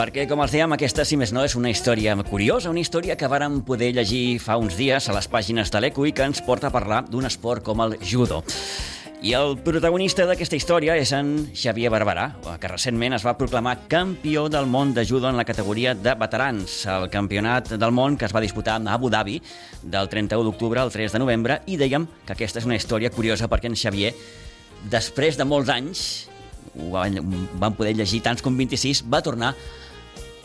Perquè, com els dèiem, aquesta, si més no, és una història curiosa, una història que vàrem poder llegir fa uns dies a les pàgines de l'Eco i que ens porta a parlar d'un esport com el judo. I el protagonista d'aquesta història és en Xavier Barberà, que recentment es va proclamar campió del món de judo en la categoria de veterans, el campionat del món que es va disputar a Abu Dhabi del 31 d'octubre al 3 de novembre, i dèiem que aquesta és una història curiosa perquè en Xavier, després de molts anys, ho van poder llegir tants com 26, va tornar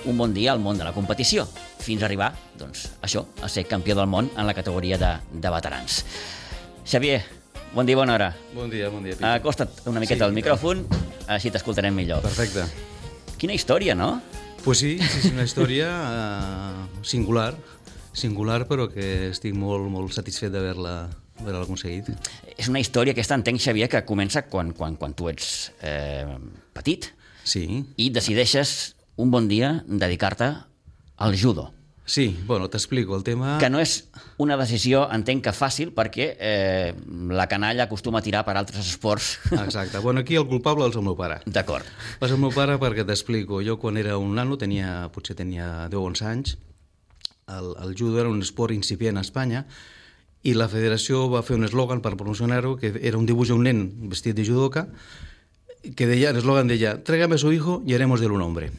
un bon dia al món de la competició, fins a arribar, doncs, això, a ser campió del món en la categoria de veterans. Xavier, bon dia, bona hora. Bon dia, Pitu. Acosta't una miqueta al micròfon, així t'escoltarem millor. Perfecte. Quina història, no? Pues sí, és una història singular, però que estic molt satisfet d'haver-la aconseguit. És una història aquesta, entenc, Xavier, que comença quan tu ets petit, sí, i decideixes un bon dia dedicar-te al judo. Sí, bueno, t'explico el tema. Que no és una decisió, entenc que fàcil, perquè la canalla acostuma a tirar per altres esports. Exacte. Bueno, aquí el culpable és el meu pare. D'acord. És el meu pare perquè t'explico. Jo quan era un nano, potser tenia 10 o 11 anys, el judo era un esport incipient a Espanya, i la federació va fer un eslògan per promocionar-ho, que era un dibuix d'un nen vestit de judoka, que deia, l'eslògan deia, tráigame a su hijo y haremos de él un hombre.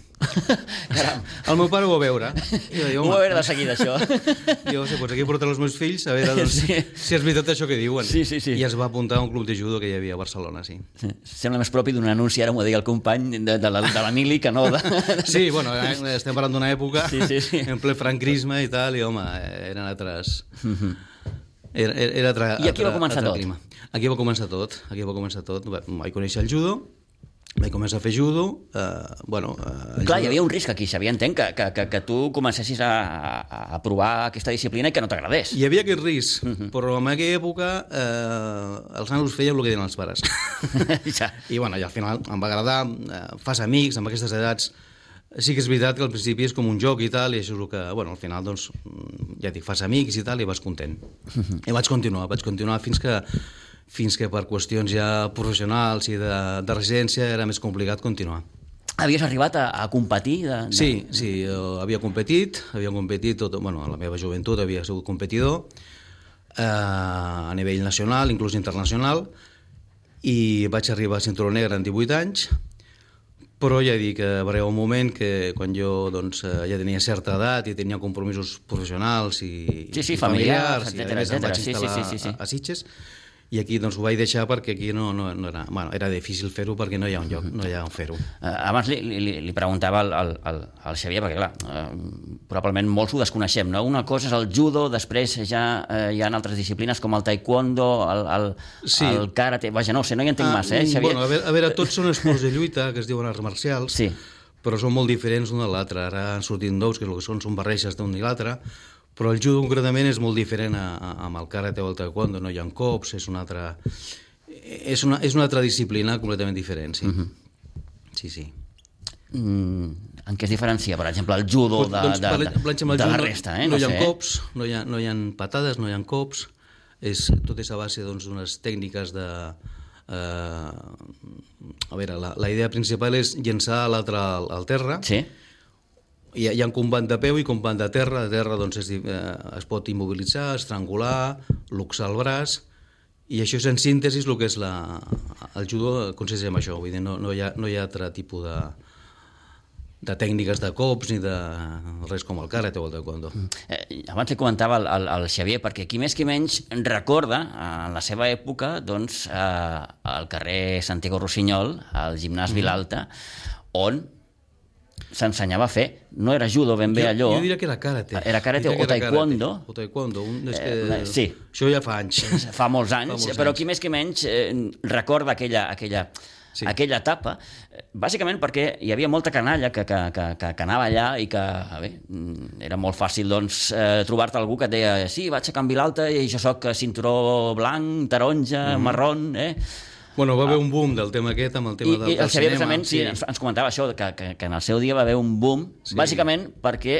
Caram. El meu pare ho va veure. Ho va veure de seguida, això. Jo sé, doncs aquí porten els meus fills a veure doncs, si és veritat això que diuen. Sí. I es va apuntar a un club de judo que hi havia a Barcelona, sí. Sembla més propi d'un anunci, ara m'ho deia el company de l'Emili, que no de... Sí, bueno, estem parlant d'una època sí. en ple franquisme i tal, i home, eren altres... I aquí va començar tot? Aquí va començar tot. Vaig conèixer el judo, vaig començar a fer judo. Clar, hi havia un risc aquí, Xavier, entenc, que tu comencessis a provar aquesta disciplina i que no t'agradés. Hi havia aquest risc, però en aquella època els nanos feien el que deien els pares. Ja. I al final em va agradar, fas amics amb aquestes edats. Sí que és veritat que al principi és com un joc i tal, i això és el que, al final, doncs, ja dic, fas amics i tal, i vas content. I vaig continuar fins que per qüestions ja professionals i de residència era més complicat continuar. Havies arribat a competir? Sí, jo havia competit tot, a la meva joventut havia sigut competidor a nivell nacional, inclús internacional, i vaig arribar a cinturó negre en 18 anys, però ja dic que va arribar un moment que quan jo ja tenia certa edat i tenia compromisos professionals i familiars, i a més em vaig instal·lar a Sitges, i aquí ho vaig deixar perquè aquí no era... era difícil fer-ho perquè no hi ha un lloc, no hi ha on fer-ho. Abans li preguntava al Xavier, perquè clar, probablement molts ho desconeixem, no? Una cosa és el judo, després ja hi ha altres disciplines com el taekwondo, el karate... Vaja, no ho sé, no hi entenc massa, Xavier? A veure, tots són esports de lluita, que es diuen arts marcials, però són molt diferents l'un de l'altre. Ara han sortit nous, que el que són barreges d'un i l'altre, però el judo concretament és molt diferent amb el karate o el taekwondo, no hi ha cops, és una altra disciplina completament diferent, sí. Sí. En què es diferencia, per exemple, el judo de la resta? No hi ha cops, no hi ha patades, no hi ha cops, tot és a base d'unes tècniques de... A veure, la idea principal és llençar l'altre al terra. Sí. Hi ha un combat de peu i combat de terra. De terra es pot immobilitzar, estrangular, luxar el braç, i això és en síntesi el que és el judo, consisteix en això. Vull dir, no hi ha altre tipus de tècniques de cops ni de res com el karate o el taekwondo. Abans li comentava al Xavier, perquè qui més qui menys recorda en la seva època al carrer Santiago Rossinyol, al gimnàs Vilalta, on s'ensenyava a fer, no era judo ben bé allò. Jo diria que era karate. Era karate o taekwondo. O taekwondo, sí. Això ja fa anys. Fa molts anys, però qui més que menys recorda aquella etapa, bàsicament perquè hi havia molta canalla que anava allà i que, era molt fàcil trobar-te algú que et deia sí, vaig a Can Vilalta i jo soc cinturó blanc, taronja, marrón, Bueno, va haver un boom del tema aquest, amb el tema del cinema. I el Xavier, precisament, sí, ens comentava això, que en el seu dia va haver un boom, bàsicament perquè,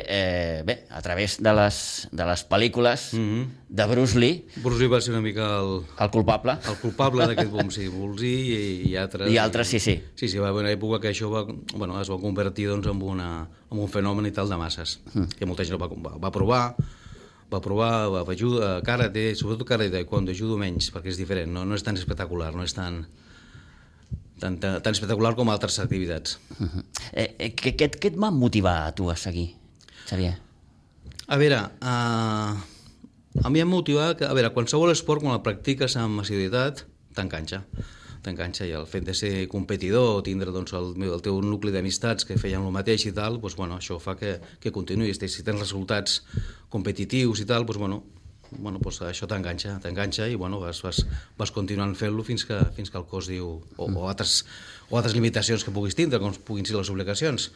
bé, a través de les pel·lícules de Bruce Lee... Bruce Lee va ser una mica el culpable. El culpable d'aquest boom, sí. Bruce Lee i altres... I altres, sí. Sí, va haver una època que això es va convertir en un fenomen i tal de masses, que molta gent va provar, karate, sobretot karate, taekwondo, judo menys, perquè és diferent, no és tan espectacular, no és tan espectacular com altres activitats. Què et va motivar a tu a seguir, Xavier? A veure, a mi em motiva que, qualsevol esport, quan el practiques amb assiduïtat, t'enganxa, i el fet de ser competidor, tindre el teu nucli d'amistats que feien el mateix i tal, això fa que continuïs. Si tens resultats competitius i tal, això t'enganxa i vas continuant fent-lo fins que el cos diu, o altres limitacions que puguis tindre, com puguin ser les obligacions.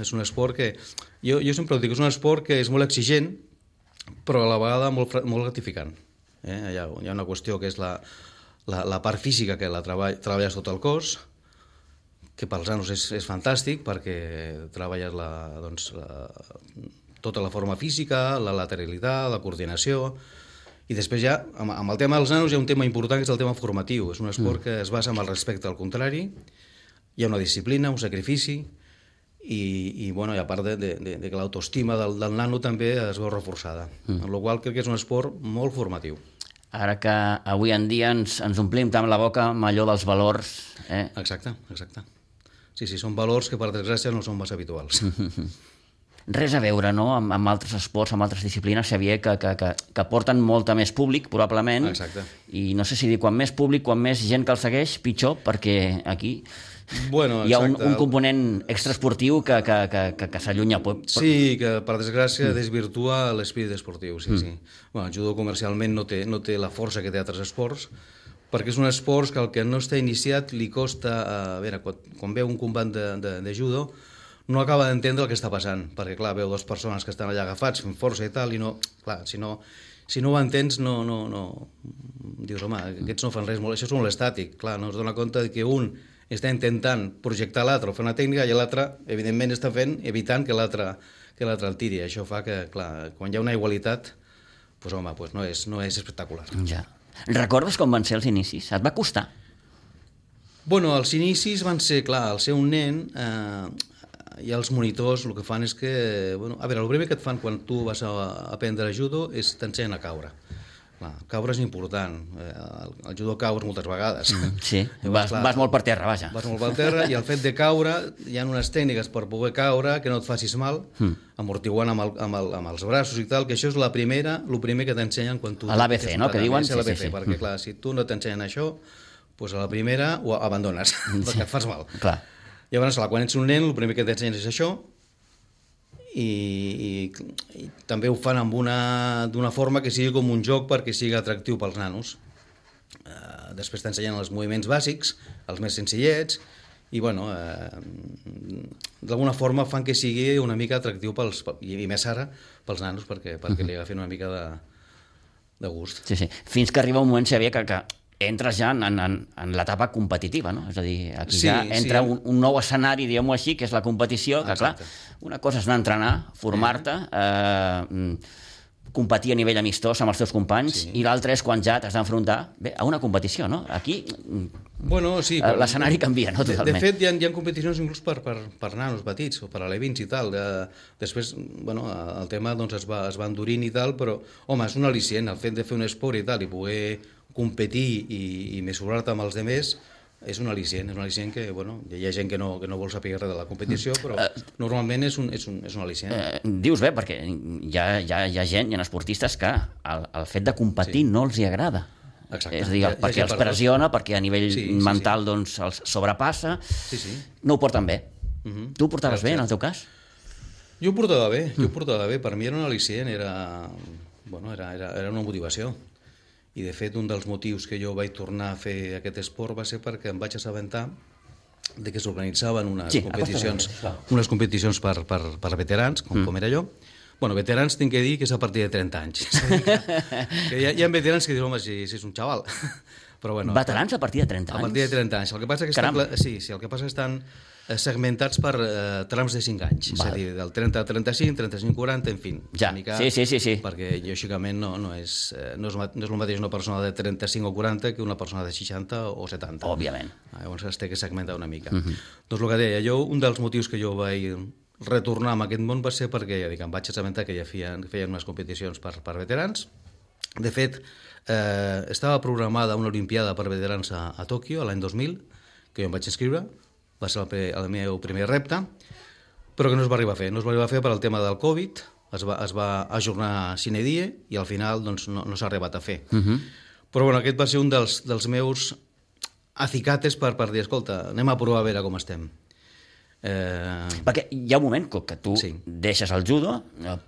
És un esport que, jo sempre dic, és un esport que és molt exigent, però a la vegada molt gratificant. Hi ha una qüestió que és la part física, que la treballes tot el cos, que pels nanos és fantàstic, perquè treballes tota la forma física, la lateralitat, la coordinació, i després ja, amb el tema dels nanos, hi ha un tema important, que és el tema formatiu. És un esport que es basa en el respecte al contrari, hi ha una disciplina, un sacrifici, i a part de que l'autoestima del nano també es veu reforçada. Amb la qual cosa crec que és un esport molt formatiu. Ara que avui en dia ens omplim tant la boca amb allò dels valors... Exacte. Sí, són valors que per desgràcia no són massa habituals. Res a veure, no?, amb altres esports, amb altres disciplines, Xavier, que porten molta més públic, probablement. Exacte. I no sé si dir, quan més públic, quan més gent que el segueix, pitjor, perquè aquí hi ha un component extraesportiu que s'allunya. Sí, que per desgràcia desvirtua l'espírit esportiu, sí. El judo comercialment no té la força que té altres esports, perquè és un esport que el que no està iniciat li costa... quan veu un combat de judo, no acaba d'entendre el que està passant, perquè, clar, veu dues persones que estan allà agafats fent força i tal, i no... Clar, si no ho entens, no... Dius, home, aquests no fan res, això és molt estàtic. Clar, no es dona compte que un està intentant projectar l'altre o fer una tècnica, i l'altre, evidentment, està evitant que l'altre el tiri. Això fa que, clar, quan hi ha una igualitat, no és espectacular. Ja. Recordes com van ser els inicis? Et va costar? Els inicis van ser, clar, al ser un nen... i els monitors el que fan és que... el primer que et fan quan tu vas a aprendre judo és t'ensenyen a caure. Caure és important. El judo caus moltes vegades. Sí, vas molt per terra, vaja. Vas molt per terra, i el fet de caure, hi ha unes tècniques per poder caure que no et facis mal, amortiguant amb els braços i tal, que això és el primer que t'ensenyen quan tu... A l'ABC, no?, que diuen? Sí, perquè, clar, si tu no t'ensenyen això, a la primera ho abandones, perquè et fas mal. Clar. Llavors, quan ets un nen, el primer que t'ensenyes és això, i també ho fan d'una forma que sigui com un joc perquè sigui atractiu pels nanos. Després t'ensenyen els moviments bàsics, els més senzillets, i d'alguna forma fan que sigui una mica atractiu i més ara pels nanos, perquè li agafin una mica de gust. Sí. Fins que arriba un moment, Xavier, que entres ja en l'etapa competitiva, no? És a dir, aquí ja entra un nou escenari, diguem-ho així, que és la competició, que clar, una cosa és anar a entrenar, formar-te, competir a nivell amistós amb els teus companys, i l'altra és quan ja t'has d'enfrontar a una competició, no? Aquí l'escenari canvia, no? Totalment. De fet, hi ha competicions inclús per nanos petits, o per alevins i tal. Després, el tema es va endurint i tal, però, home, és un al·licient, el fet de fer un esport i tal, i poder competir i mesurar-te amb els altres, és un al·licient que, hi ha gent que no vol saber res de la competició, però normalment és un al·licient. Dius bé, perquè hi ha gent, hi ha esportistes que el fet de competir no els hi agrada. Exacte. És a dir, perquè els pressiona, perquè a nivell mental els sobrepassa, no ho porten bé. Tu ho portaves bé, en el teu cas? Jo ho portava bé, per mi era un al·licient, era una motivació. I, de fet, un dels motius que jo vaig tornar a fer aquest esport va ser perquè em vaig assabentar de que s'organitzaven unes competicions per veterans, com era jo. Veterans tinc que dir que és a partir de 30 anys. Que hi ha veterans que diuen, home, si és un xaval. Però, bueno, veterans a partir de 30 anys? A partir de 30 anys. El que passa que estan segmentats per trams de 5 anys. És a dir, del 30 a 35, 35 a 40, en fi. Ja, sí. Perquè, lògicament, no és el mateix una persona de 35 o 40 que una persona de 60 o 70. Òbviament. Llavors es té que segmentar una mica. Doncs el que deia, un dels motius que jo vaig retornar a aquest món va ser perquè, ja dic, em vaig assabentar que ja feien unes competicions per veterans. De fet, estava programada una olimpiada per veterans a Tòquio l'any 2000, que jo em vaig inscriure, va ser el meu primer repte, però que no es va arribar a fer. No es va arribar a fer per al tema del Covid, es va ajornar sine die i al final doncs, no s'ha arribat a fer. Però bueno, aquest va ser un dels meus acicates per dir, escolta, anem a provar a veure com estem. Perquè hi ha un moment que tu deixes el judo,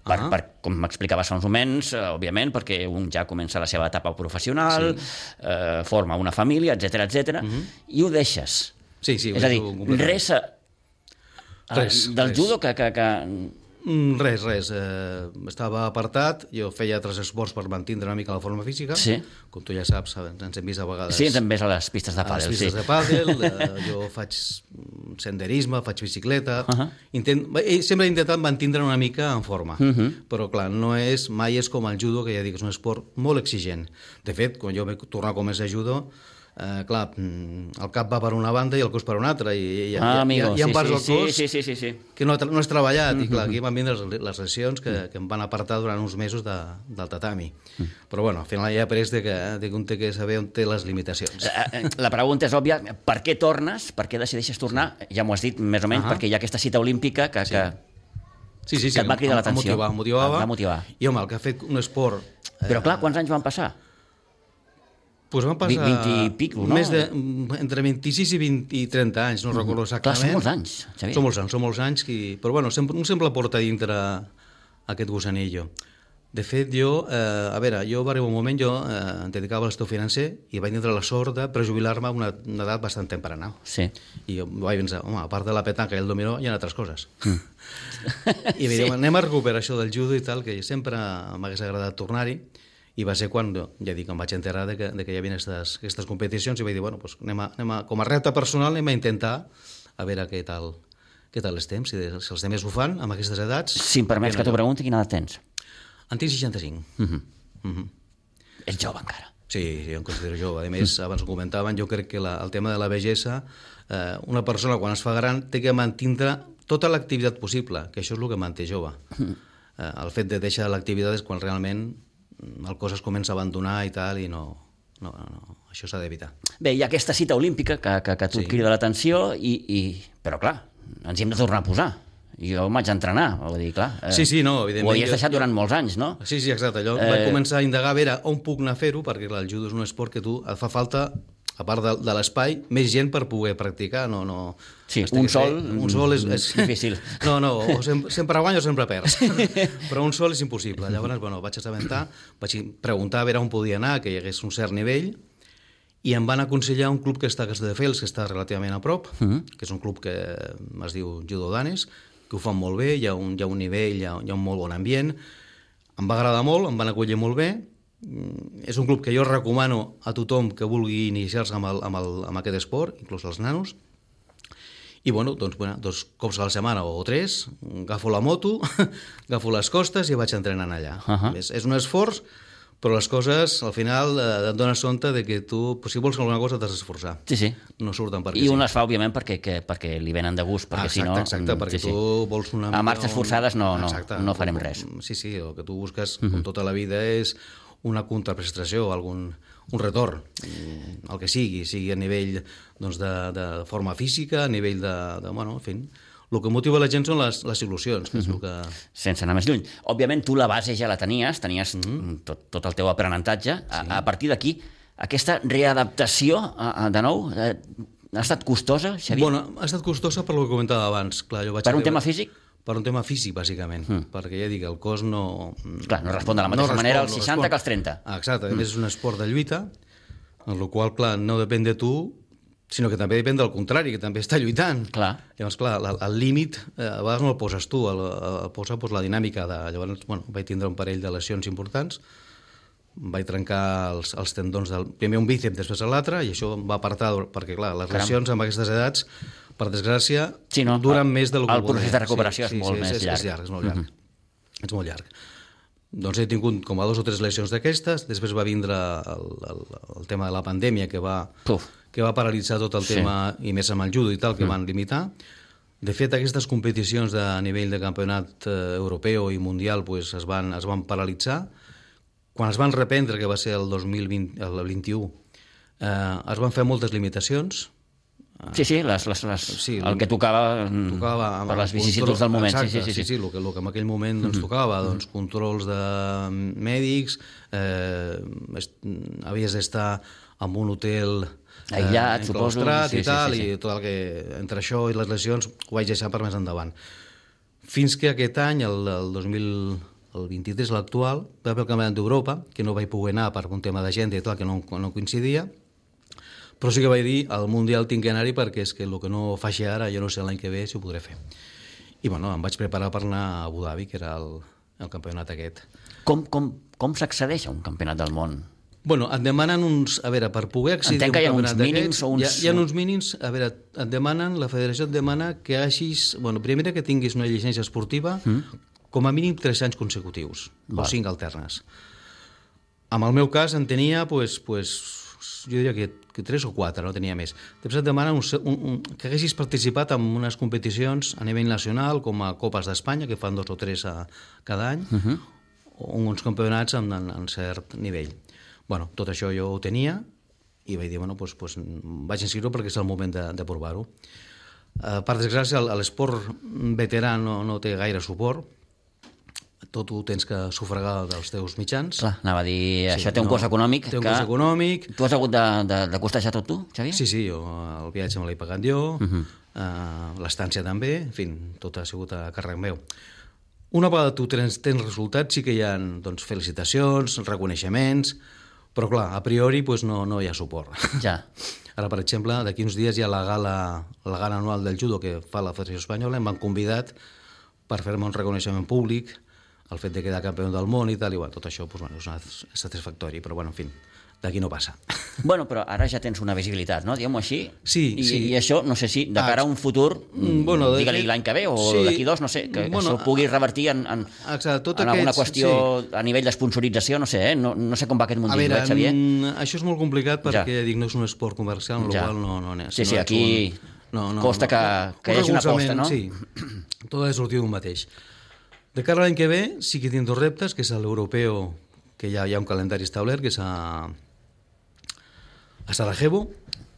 com m'explicaves fa uns moments, òbviament, perquè un ja comença la seva etapa professional, forma una família, etc, i ho deixes. Sí, és a dir, res del judo que... Res. Estava apartat, jo feia altres esports per mantenir una mica la forma física. Sí. Com tu ja saps, ens hem vist a vegades... Sí, ens hem vist a les pistes de pàdel. A les pistes de pàdel, jo faig senderisme, faig bicicleta... Sempre he intentat mantenir una mica en forma, però clar, mai és com el judo, que ja dic, és un esport molt exigent. De fet, quan jo vaig tornar a començar judo, clar, el cap va per una banda i el cos per una altra, i hi ha parts del cos que no has treballat, i clar, aquí van vindre les lesions que em van apartar durant uns mesos del tatami. Però bueno, al final ja he après que un té que saber on té les limitacions. La pregunta és òbvia, per què tornes? Per què decideixes tornar? Ja m'ho has dit més o menys, perquè hi ha aquesta cita olímpica que et va cridar l'atenció. Em motivava. I home, el que ha fet un esport... Però clar, quants anys van passar? Pues van passar 20 i pico, no? Entre 26 i 20 i 30 anys, no recordo exactament. Clar, són molts anys, Xavier. Són molts anys, però bueno, un sempre porta dintre aquest gusanillo. De fet, jo va arribar un moment, jo em dedicava a l'estiu financer i vaig tindre la sort de prejubilar-me a una edat bastant temprana. Sí. I vaig pensar, home, a part de la petanca i el dominó, hi ha altres coses. I vaig dir, anem a recuperar això del judo i tal, que sempre m'hagués agradat tornar-hi. I va ser quan, ja dic, em vaig enterar de que hi havia aquestes competicions i vaig dir, bueno, doncs com a repte personal anem a intentar a veure què tal estem, si els altres ho fan amb aquestes edats. Si em permets que t'ho pregunti, quina edat tens? En tinc 65. Ets jove encara. Sí, jo em considero jove. A més, abans ho comentaven, jo crec que el tema de la vellesa, una persona quan es fa gran té que mantenir tota l'activitat possible, que això és el que manté jove. El fet de deixar l'activitat és quan realment el cos es comença a abandonar i tal, i no, això s'ha d'evitar. Bé, hi ha aquesta cita olímpica que tu et crida l'atenció, però clar, ens hi hem de tornar a posar. Jo em vaig entrenar, vull dir, clar. No, evidentment. Ho havies deixat durant molts anys, no? Sí, exacte. Jo vaig començar a indagar a veure on puc anar a fer-ho, perquè clar, el judo és un esport que et fa falta, a part de l'espai, més gent per poder practicar. Sí, un sol és difícil. No, o sempre guanya o sempre perds. Però un sol és impossible. Llavors, vaig assabentar, vaig preguntar a veure on podia anar, que hi hagués un cert nivell, i em van aconsellar un club que està a Castelldefels, que està relativament a prop, que és un club que es diu Judo Danes, que ho fan molt bé, hi ha un nivell, hi ha un molt bon ambient. Em va agradar molt, em van acollir molt bé. És un club que jo recomano a tothom que vulgui iniciar-se amb aquest esport, inclús als nanos. I doncs 2 cops a la setmana o 3, agafo la moto, agafo les costes i vaig entrenant allà. És un esforç, però les coses al final et dones compte de que tu, si vols alguna cosa, t'has d'esforçar. Sí. No surten perquè I un les fa, òbviament, perquè li venen de gust, perquè si no... Exacte, perquè tu vols una mica... A marxes forçades no farem res. Sí, el que tu busques, com tota la vida, és una contraprestació, un retorn, el que sigui a nivell de forma física, a nivell en fi, el que motiva la gent són les il·lusions, que és el que... Sense anar més lluny. Òbviament, tu la base ja la tenies tot el teu aprenentatge. A partir d'aquí, aquesta readaptació, de nou, ha estat costosa, Xavier? Ha estat costosa per el que comentava abans. Per un tema físic? Per un tema físic, bàsicament, perquè ja dic, el cos no... Clar, no respon de la mateixa manera als 60 que als 30. Exacte, a més és un esport de lluita, en el qual, clar, no depèn de tu, sinó que també depèn del contrari, que també està lluitant. Clar. Llavors, clar, el límit a vegades no el poses tu, el posa la dinàmica de... Llavors, vaig tindre un parell de lesions importants, vaig trencar els tendons primer un bíceps, després l'altre, i això em va apartar, perquè clar, les lesions amb aquestes edats, per desgràcia, duren més del que... El procés de recuperació és molt més llarg. És molt llarg. És molt llarg. Doncs he tingut com a 2 o 3 lesions d'aquestes, després va vindre el tema de la pandèmia que va paralitzar tot el tema, i més amb el judo i tal, que van limitar. De fet, aquestes competicions a nivell de campionat europeu i mundial es van paralitzar. Quan es van reprendre, que va ser el 2021, es van fer moltes limitacions. Sí, el que tocava per les vicissituds del moment. Exacte, sí, el que en aquell moment tocava, controls de mèdics, havies d'estar en un hotel aïllat, suposo, i tal, i tot el que entre això i les lesions ho vaig deixar per més endavant. Fins que aquest any, el 23, l'actual, va haver el Campionat d'Europa, que no vaig poder anar per un tema d'agenda i tal, que no coincidia, però sí que vaig dir, al Mundial tinc que anar-hi perquè és que el que no faci ara, jo no sé l'any que ve si ho podré fer. I bueno, em vaig preparar per anar a Abu Dhabi, que era el campionat aquest. Com s'accedeix a un campionat del món? Bueno, et demanen uns... A veure, per poder accedir a un campionat d'aquests... Hi ha uns mínims, a veure, la federació et demana que hagis... Bueno, primer que tinguis una llicència esportiva com a mínim 3 anys consecutius, o 5 alternes. En el meu cas en tenia, jo diria que 3 o 4, no tenia més. Després et demanen que haguessis participat en unes competicions a nivell nacional, com a Copes d'Espanya, que fan 2 o 3 cada any, o uns campionats en cert nivell. Bueno, tot això jo ho tenia, i vaig dir, vaig inscriure perquè és el moment de provar-ho. Per desgràcia, l'esport veterà no té gaire suport, tot ho tens que sufragar dels teus mitjans. Clar, anava a dir, això té un cost econòmic. Té un cost econòmic. Tu has hagut de costejar tot tu, Xavier? Sí, jo el viatge me l'he pagat jo, l'estància també, en fi, tot ha sigut a càrrec meu. Una vegada tu tens resultats, sí que hi ha felicitacions, reconeixements, però clar, a priori no hi ha suport. Ja. Ara, per exemple, d'aquí uns dies hi ha la gala anual del judo que fa la Federació Espanyola, em van convidat per fer-me un reconeixement públic, el fet de quedar campió del món i tal, i tot això és satisfactori, però en fi, d'aquí no passa. Bueno, però ara ja tens una visibilitat, no? Diguem-ho així. Sí. I això, no sé si, de cara a un futur, digue-li l'any que ve, o d'aquí 2, no sé, que això pugui revertir en alguna qüestió a nivell d'esponsorització, no sé, no sé com va aquest mundillo, Xavier? Això és molt complicat perquè, no és un esport comercial, amb la qual no... Sí, aquí costa que hi hagi una aposta, no? Sí, tot ha de sortir d'un mateix. De cara a l'any que ve sí que tinc 2 reptes, que és l'europeu, que ja hi ha un calendari establert, que és a Sarajevo,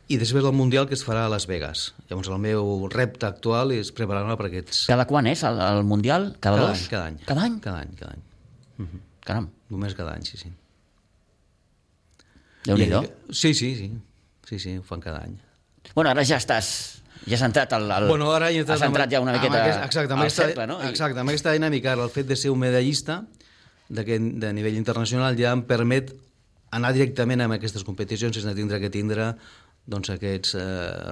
i després el Mundial, que es farà a Las Vegas. Llavors el meu repte actual és preparar-me per aquests... Cada quan és el Mundial? Cada 2? Cada any. Cada any? Cada any. Caram. Només cada any, sí. Déu-n'hi-do. Sí, ho fan cada any. Bueno, ara ja has entrat has entrat ja una miqueta al cercle, no? Exacte, amb aquesta dinàmica, el fet de ser un medallista de nivell internacional ja em permet anar directament a aquestes competicions sense tindre que tindre aquests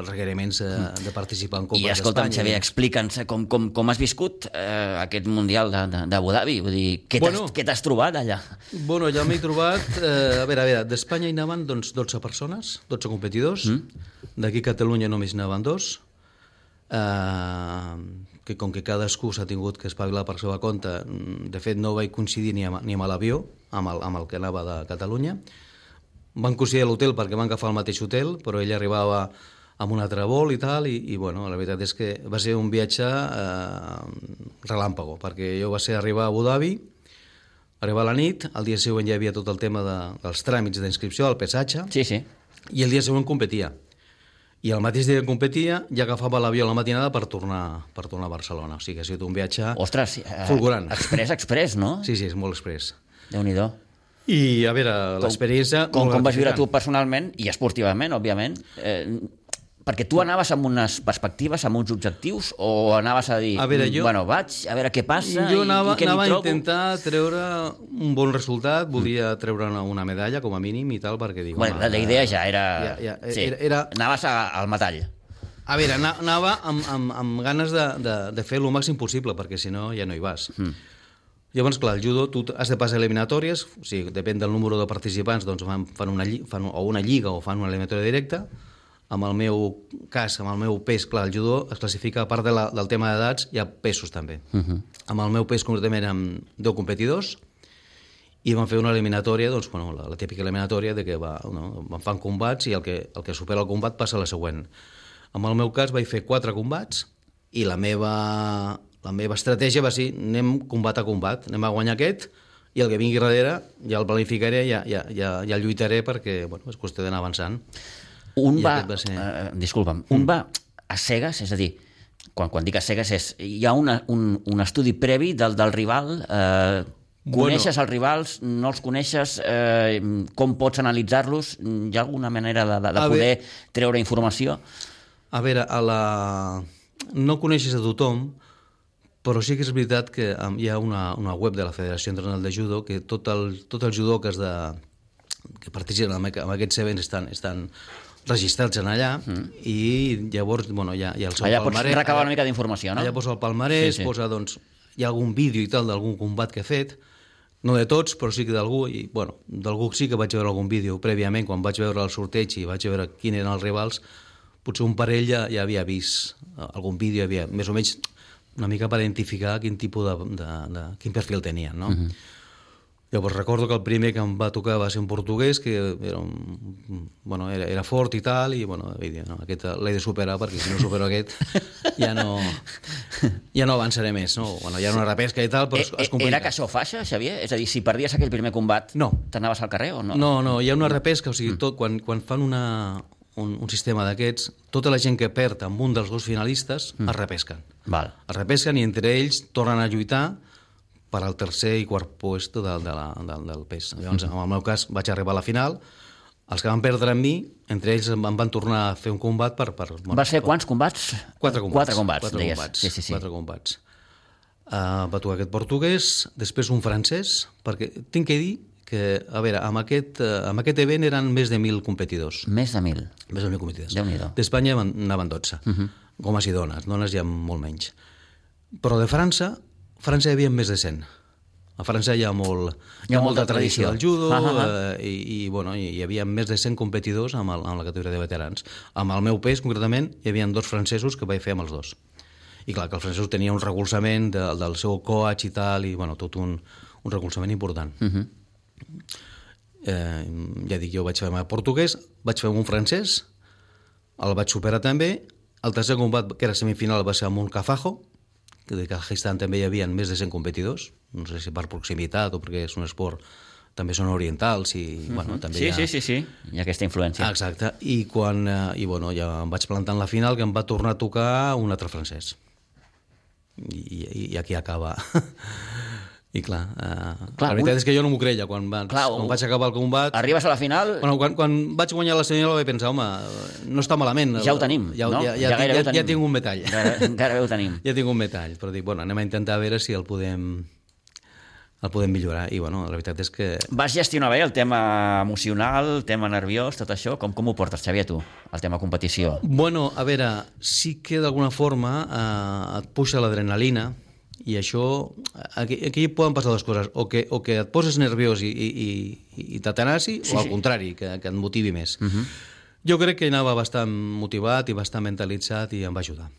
requeriments de participar en Copes d'Espanya. I escolta'm, Xavier, explica'ns com has viscut aquest Mundial d'Abu Dhabi, vull dir, què t'has trobat allà? Bueno, allà m'he trobat, a veure, d'Espanya hi anaven 12 persones, 12 competidors, d'aquí a Catalunya només anaven 2, que com que cadascú s'ha tingut que espavilar per seva compte, de fet no vaig coincidir ni amb l'avió, amb el que anava de Catalunya. Van coincidir a l'hotel perquè van agafar el mateix hotel, però ell arribava amb un altre vol i tal, i bueno, la veritat és que va ser un viatge relàmpago, perquè jo va ser arribar a Abu Dhabi, arribar a la nit, el dia següent ja hi havia tot el tema dels tràmits d'inscripció, el pesatge, i el dia següent competia. I el mateix dia que competia ja agafava l'avió a la matinada per tornar a Barcelona. O sigui que ha sigut un viatge fulgurant. Express, no? Sí, és molt express. Déu-n'hi-do. I, a veure, l'experiència... Com vas viure tu personalment i esportivament, òbviament? Perquè tu anaves amb unes perspectives, amb uns objectius, o anaves a dir, vaig a veure què passa i què m'hi trobo? Jo anava a intentar treure un bon resultat, volia treure una medalla, com a mínim, i tal, perquè dic... La idea ja era... Anaves al metall. A veure, anava amb ganes de fer el màxim possible, perquè si no ja no hi vas. Llavors, clar, el judo, tu has de passar eliminatòries, o sigui, depèn del número de participants, doncs fan una lliga o fan una eliminatòria directa. En el meu cas, amb el meu pes, clar, el judo es classifica, a part del tema d'edats, hi ha pesos també. Amb el meu pes, concretament, amb 10 competidors, i vam fer una eliminatòria, doncs, bueno, la típica eliminatòria de que fan combats i el que supera el combat passa a la següent. En el meu cas vaig fer 4 combats i la meva estratègia va ser anem combat a combat, anem a guanyar aquest i el que vingui darrere ja el planificaré, ja el lluitaré perquè és qüestió d'anar avançant. Disculpa'm, un va a cegues, és a dir, quan dic a cegues hi ha un estudi previ del rival, coneixes els rivals, no els coneixes, com pots analitzar-los, hi ha alguna manera de poder treure informació? A veure, no coneixes a tothom, però sí que és veritat que hi ha una web de la Federació Internacional de Judo que tots els judoques que participen en aquests events estan registrats en allà i llavors hi ha el seu allà palmarès. Pots recabar una mica d'informació, no? Allà posa el palmarès, posa, hi ha algun vídeo i tal d'algun combat que he fet, no de tots, però sí que d'algú, i d'algú sí que vaig veure algun vídeo prèviament, quan vaig veure el sorteig i vaig veure quins eren els rivals, potser un parell ja havia vist algun vídeo, havia més o menys una mica per identificar quin tipus quin perfil tenien, no? Llavors recordo que el primer que em va tocar va ser un portuguès que era fort i tal, i aquest l'he de superar perquè si no supero aquest ja no avançaré més, no? Ja era una repesca i tal, però es complica. Era caixó faixa, Xavier? És a dir, si perdies aquell primer combat, t'anaves al carrer o no? No, hi ha una repesca, o sigui, quan fan un sistema d'aquests, tota la gent que perd amb un dels dos finalistes es repesquen. Es repesquen i entre ells tornen a lluitar per al tercer i quart puesto del pes. Llavors, en el meu cas, vaig arribar a la final. Els que van perdre amb mi, entre ells em van tornar a fer un combat per... Vas fer quants combats? 4 combats. 4 combats. 4 combats. Va tocar aquest portuguès, després un francès, perquè tinc que dir que, a veure, amb aquest event eren més de 1.000 competidors. Més de 1.000? Més de 1.000 competidors. Déu-n'hi-do. D'Espanya anaven 12, homes i dones. Dones hi ha molt menys. Però de França hi havia més de 100. A França hi ha molta tradició del judo i hi havia més de 100 competidors amb la categoria de veterans. Amb el meu pes, concretament, hi havia 2 francesos que vaig fer amb els 2. I clar, que el francès tenia un recolzament del seu coach i tal, i tot un recolzament important. Ja dic, jo vaig fer amb portuguès, vaig fer amb un francès, el vaig superar també. El tercer combat, que era semifinal, va ser amb un kazajo, que de Kazajistan també hi havia més de 100 competidors, no sé si per proximitat o perquè és un esport, també són orientals i també Sí, hi ha aquesta influència. Exacte, i ja em vaig plantar en la final, que em va tornar a tocar un altre francès. I aquí acaba. I clar, la veritat és que jo no m'ho creia quan vaig acabar el combat. Arribes a la final... Quan vaig guanyar la semifinal vaig pensar, home, no està malament. Ja ho tenim, no? Ja tinc un metall. Gairebé ho tenim. Ja tinc un metall, però dic, anem a intentar veure si el podem millorar. I la veritat és que... Vas gestionar bé el tema emocional, el tema nerviós, tot això? Com ho portes, Xavier, tu, el tema competició? A veure, sí que d'alguna forma et puja l'adrenalina. I això, aquí poden passar dues coses, o que et poses nerviós i t'atenassi, o al contrari, que et motivi més. Jo crec que anava bastant motivat i bastant mentalitzat i em va ajudar.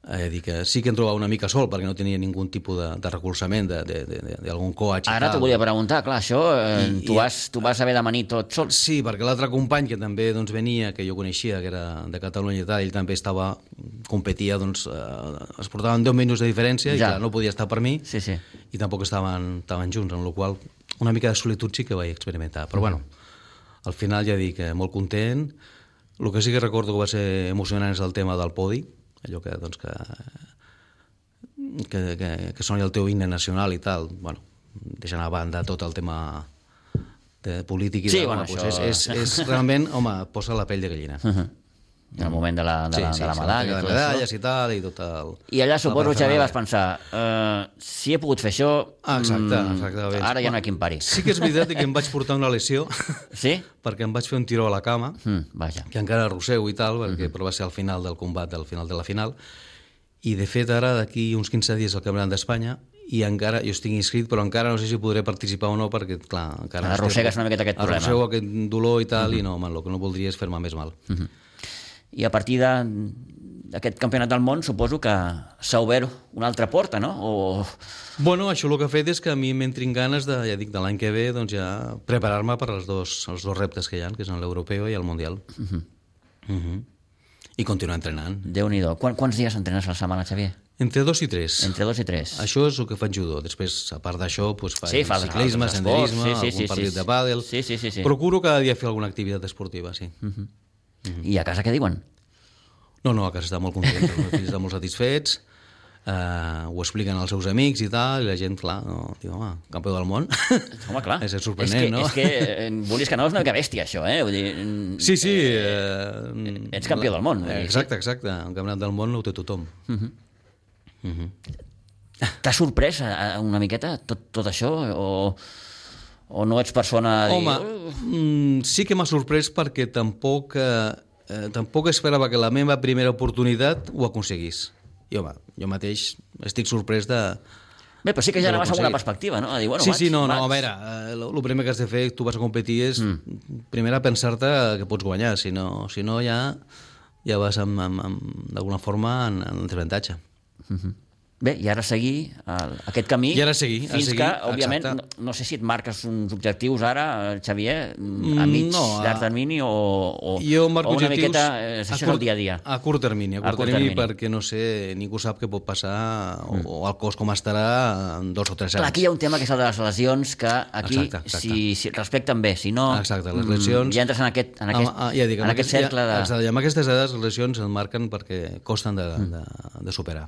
Dir que sí que em trobava una mica sol perquè no tenia ningú tipus de recolzament d'algun coach. Ara t'ho volia preguntar, clar, això tu vas haver d'amanir tot sol. Sí, perquè l'altre company que també venia, que jo coneixia, que era de Catalunya i tal, ell també competia, es portaven 10 minuts de diferència i clar, no podia estar per mi i tampoc estaven junts, en la qual una mica de solitud sí que vaig experimentar. Però al final ja dic que molt content. El que sí que recordo que va ser emocionant és el tema del podi, allò que soni el teu himne nacional i tal, deixant a banda tot el tema de polític i és realment, posa la pell de gallina. En el moment de la medalla. De medalles i tal, i tot el... I allà suposo, Xavier, vas pensar, si he pogut fer això, exactament. Ara ja no hi ha qui em pari. Sí que és veritat que em vaig portar una lesió, perquè em vaig fer un tiró a la cama, que encara arrossego i tal, però va ser al final del combat, al final de la final, I, de fet, ara, d'aquí uns 15 dies, el Campionat d'Espanya, i encara, jo estic inscrit, però encara no sé si podré participar o no, perquè, clar, encara... Arrossegues una miqueta aquest problema. Arrossego aquest dolor i tal, i no, el que no voldria és fer-me més mal. I a partir d'aquest campionat del món, suposo que s'ha obert una altra porta, no? Bueno, això el que ha fet és que a mi m'entrin ganes de, ja dic, de l'any que ve, doncs ja preparar-me per els dos reptes que hi ha, que són l'europeu i el mundial. I continuar entrenant. Déu-n'hi-do. Quants dies entrenes a la setmana, Xavier? Entre 2 i 3. Entre 2 i 3. Això és el que faig judo. Després, a part d'això, faig ciclisme, altres senderisme, esports, algun partit de pàdel. Sí. Procuro cada dia fer alguna activitat esportiva, sí. I a casa què diuen? No, a casa està molt content, els meus fills estan molt satisfets, ho expliquen als seus amics i tal, i la gent, clar, diu, home, campió del món. Home, clar. És sorprenent, no? És que, volies que no, és una mica bèstia, això, eh? Vull dir, sí. Ets campió del món. Exacte. El campionat del món ho té tothom. T'ha sorprès una miqueta tot això? O no ets persona... Home, sí que m'ha sorprès perquè tampoc esperava que la meva primera oportunitat ho aconseguís. I, home, jo mateix estic sorprès de... Bé, però sí que ja anaves amb una perspectiva, no? A dir, bueno, sí, a veure, el primer que has de fer, tu vas a competir, és primer a pensar-te que pots guanyar, si no ja vas d'alguna forma en desavantatge. Bé, i ara seguir aquest camí fins que, òbviament, no sé si et marques uns objectius ara, Xavier, a mig, llarg termini o una miqueta, això és el dia a dia. A curt termini, perquè no sé, ningú sap què pot passar o el cos com estarà en 2 o 3 anys. Clar, aquí hi ha un tema que és el de les lesions, que aquí si respecten bé, si no, exacte, les lesions, ja entres en aquest cercle de... Exacte, i amb aquestes edats les lesions el marquen perquè costen de superar.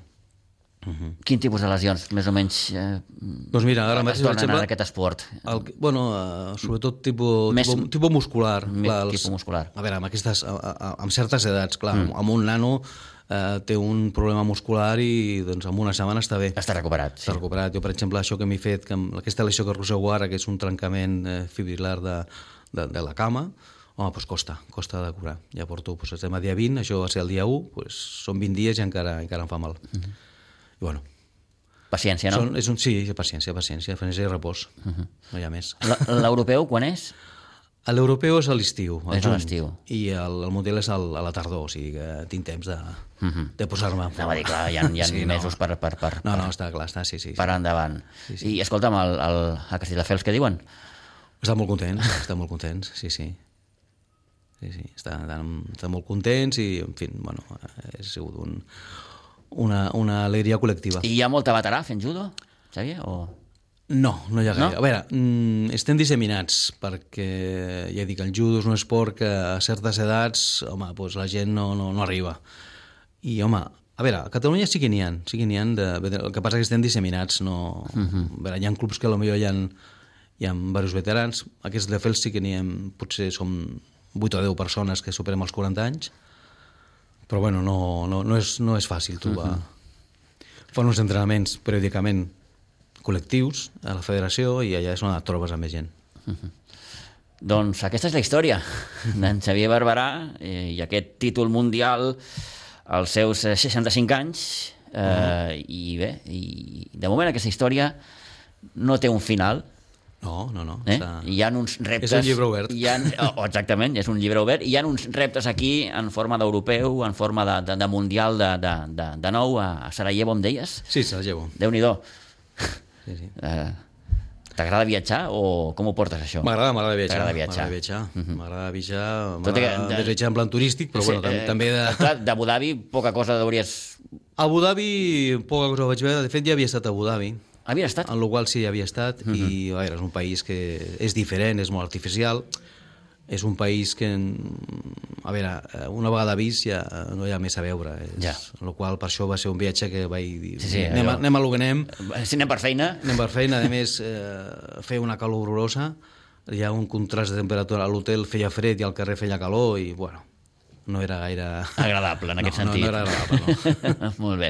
Quin tipus de lesions, més o menys, doncs mira, ara mateix, per exemple, en aquest esport? Sobretot tipus muscular. Tipus muscular. A veure, amb certes edats, clar, amb un nano té un problema muscular i doncs en una setmana està bé. Està recuperat. Està recuperat. Jo, per exemple, això que m'he fet, aquesta lesió que arrossego ara, que és un trencament fibrilar de la cama, home, doncs costa de curar. Ja porto, estem a dia 20, això va ser el dia 1, són 20 dies i encara em fa mal. I bueno, paciència, no? Sí, paciència i repòs, no hi ha més. L'europeu quan és? L'europeu és a l'estiu, és a l'estiu. I el mundial és a la tardor, o sigui que tinc temps de posar-me en forma. Anava a dir, clar, hi ha mesos per... No, està clar, sí. Per endavant. I escolta'm, a Castelldefels què diuen? Estan molt contents, sí. Estan molt contents i, en fi, bueno, ha sigut una alegria col·lectiva. I hi ha molta veterà fent judo, Xavier? No hi ha gaire. A veure, estem disseminats perquè, ja dic, el judo és un esport que a certes edats, home, doncs la gent no arriba. I, home, a veure, a Catalunya sí que n'hi ha, el que passa és que estem disseminats. A veure, hi ha clubs que potser hi ha diversos veterans, aquests de Fels sí que n'hi ha, potser som 8 o 10 persones que superem els 40 anys, però bueno, no és fàcil trobar. Fan uns entrenaments periòdicament col·lectius a la federació i allà és on et trobes amb més gent. Doncs aquesta és la història d'en Xavier Barberà i aquest títol mundial als seus 65 anys i bé, de moment aquesta història no té un final. No. Hi ha uns reptes... És un llibre obert. Exactament, és un llibre obert. Hi ha uns reptes aquí en forma d'europeu, en forma de mundial de nou a Sarajevo, em deies? Sí, Sarajevo. Déu-n'hi-do. Sí. T'agrada viatjar o com ho portes, això? M'agrada viatjar. M'agrada viatjar en plan turístic, però bueno, també de... Clar, d'Abu Dhabi poca cosa hauries... Abu Dhabi poca cosa vaig veure. De fet, ja havia estat a Abu Dhabi. Havia estat? En el qual sí, havia estat, i a veure, és un país que és diferent, és molt artificial, és un país que, a veure, una vegada vist ja no hi ha més a veure, el qual per això va ser un viatge que vaig dir, anem a lo que anem. Si anem per feina. A més, feia una calor horrorosa, hi ha un contrast de temperatura, a l'hotel feia fred i al carrer feia calor, i bueno, no era gaire... agradable, en aquest sentit. No era agradable, no. Molt bé.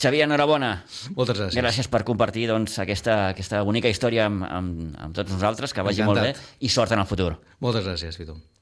Xavier, enhorabona. Moltes gràcies. Gràcies per compartir aquesta bonica història amb tots nosaltres, que vagi molt bé, i sort en el futur. Moltes gràcies, Vito.